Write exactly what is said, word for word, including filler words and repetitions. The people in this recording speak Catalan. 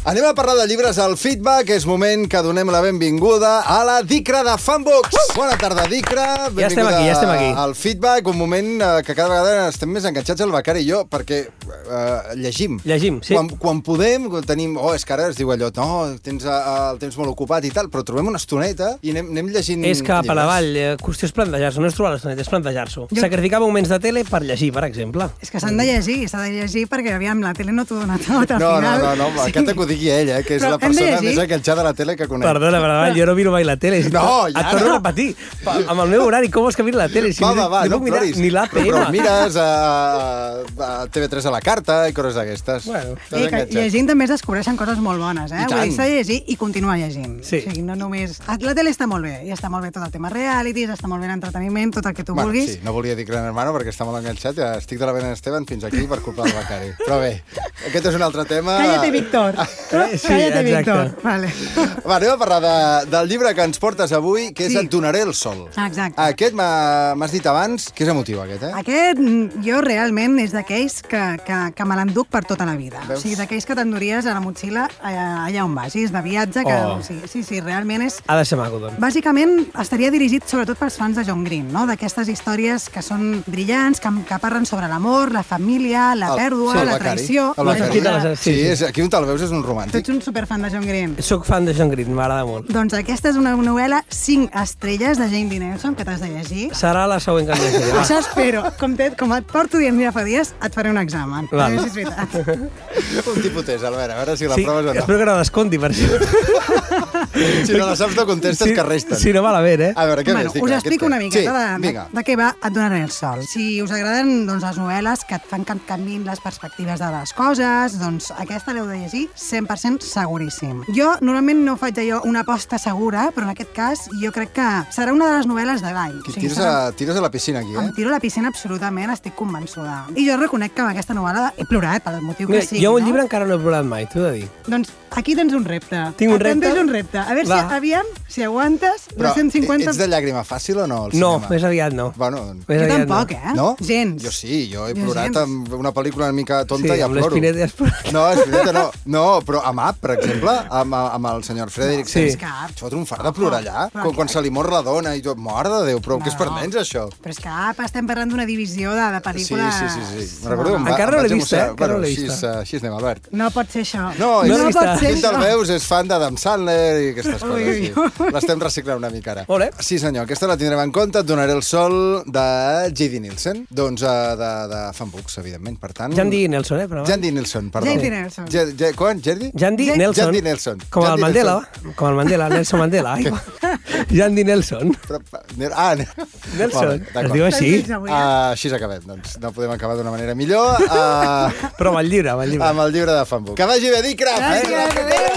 Anem a parlar de llibres al Feedback. És moment que donem la benvinguda a la Dicra de Fanbooks. Uh! Bona tarda, Dicra. Ja estem aquí, ja estem aquí. Al Feedback, un moment que cada vegada estem més enganxats el Becari i jo, perquè uh, llegim. Llegim, sí. Quan, quan podem, tenim... Oh, és que ara es diu allò, no, tens uh, el temps molt ocupat i tal, però trobem una estoneta i anem, anem llegint És cap llibres. a la vall, qüestió és plantejar-s'ho, no és trobar l'estoneta, és plantejar-s'ho. Jo... Sacrificar moments de tele per llegir, per exemple. És que s'han de llegir, s'ha de llegir perquè, aviam, la tele no t'ho dona tot al no, final. No, no, no, sí. Aquest que ho digui ella, eh, que és però la persona més enganxada a la tele que conec. Perdona, perdona, jo no miro mai la tele. No, ja Et torno a repetir. Amb el meu horari, com vols que miro la tele? Si va, va, va, no, no mirar ploris. Ni l'A P M. Però mires a, a T V tres a la carta i coses d'aquestes. Bueno. I que llegint també es descobreixen coses molt bones, eh? I Vull dir, s'ha de llegir i continuar llegint. Sí. O sigui, no només... La tele està molt bé, i està molt bé tot el tema realities, està molt bé l'entreteniment, tot el que tu bueno, vulguis. Sí, no volia dir Gran Hermano perquè està molt enganxat, ja estic de la Belén Esteban fins aquí per culpa del Becari. Però bé, aquest és un altre tema... Cállate, Víctor. Sí, Cállate, exacte. Víctor. Vale. Va, anem a parlar de, del llibre que ens portes avui, que és Sí. Et donaré el sol. Exacte. Aquest m'has dit abans que és emotiu, aquest, eh? Aquest, jo realment, és d'aquells que, que, que me l'enduc per tota la vida. Veus? O sigui, d'aquells que t'enduries a la motxilla allà, allà on vagis, de viatge, que... Oh. O sigui, sí, sí, realment és... Ha de ser maco, doncs. Bàsicament, estaria dirigit sobretot pels fans de John Green, no? D'aquestes històries que són brillants, que, que parlen sobre l'amor, la família, la El- pèrdua, sí, el la Becari. traïció... El Becari. Qui te les- Sí, sí, sí. és, aquí on te'l veus és un Tu romàntic. ets un superfan de John Green. Soc fan de John Green, m'agrada molt. Doncs aquesta és una novel·la cinc estrelles de Jane D. Nelson, que t'has de llegir. Serà la següent que em llegiré. va. Això espero. Com, te, com et porto dient ja fa dies, et faré un examen. Val. A veure si és veritat. Un tipus test, Albert, a veure si la Sí, proves o no. espero que no desconti, per això. Si no la saps, no contestes, Sí, que resten. sí, no val a veure, eh? A veure, què Bueno, més? Dic, us què explico et- una miqueta sí, de, de, vinga. de què va Et donaré el sol. Si us agraden doncs, les novel·les que et fan que et canviïn les perspectives de les coses, doncs aquesta l'heu de llegir cent per cent seguríssim. Jo normalment no faig allò una aposta segura, però en aquest cas jo crec que serà una de les novel·les de l'any. Qui tires, a, tires a la piscina, aquí, Em eh? tiro a la piscina absolutament, estic convençuda. I jo reconec que amb aquesta novel·la he plorat, pel motiu que Mira, sigui. jo un no? llibre encara no he plorat mai, t'ho he de dir. Doncs aquí tens un repte. Tinc un repte? Tens un repte. A veure Va. si, aviam, si aguantes Però dos-cents cinquanta... ets de llàgrima fàcil o no, al No, cinema? més aviat no. Bueno, doncs... Més Jo aviat tampoc, no. eh? No? Gens. Jo sí, jo he Jo plorat gens. amb una pel·lícula una mica tonta Sí, i ja amb ploro. l'Espineta has plorat. No, Espineta no. No, però amb Up, per exemple, amb, amb el senyor Frederick. Sí. Sense cap. Això fot un fart de plorar allà. Però Quan, què? quan se li mor la dona i tot, mort de Déu, però No. què és per nens, això? Però és que apa, estem parlant d'una divisió de, de Sí, pel·lícules... sí, sí, sí. Me recordo que em va, Encara em no l'he vaig vista, eh? emocionar. Encara no Bueno, l'he així, vista. és, així anem, Albert. No pot ser això. No, No és- l'he vista. pot ser Qui te'l això. veus és fan d'Adam Sandler i aquestes Ui, coses. ui, Sí. L'estem reciclant una mica ara. Molt bé. Sí, senyor, aquesta la tindrem en compte. Et donaré el sol de J D. Nielsen. Doncs uh, de, de Fanbooks, evidentment, per tant... Jan D. Nelson, eh? Però... Jan D. Nielsen, perdó. Jan D. Nelson. Ja, ja, quan? Jerdy? Jan D. Jan- Nelson. Jan D. Nelson. Com Jan el D. Mandela, Nelson. com el Mandela, Nelson Mandela. Ai, Jan D. Nelson. Però, ah, Nelson. Molt bé, Es d'acord. diu així. Uh, així acabem, doncs. No podem acabar d'una manera millor. Uh, Però amb el llibre, amb el llibre. amb el llibre de Fanbooks. Que vagi bé, Dicra! Gràcies, adéu.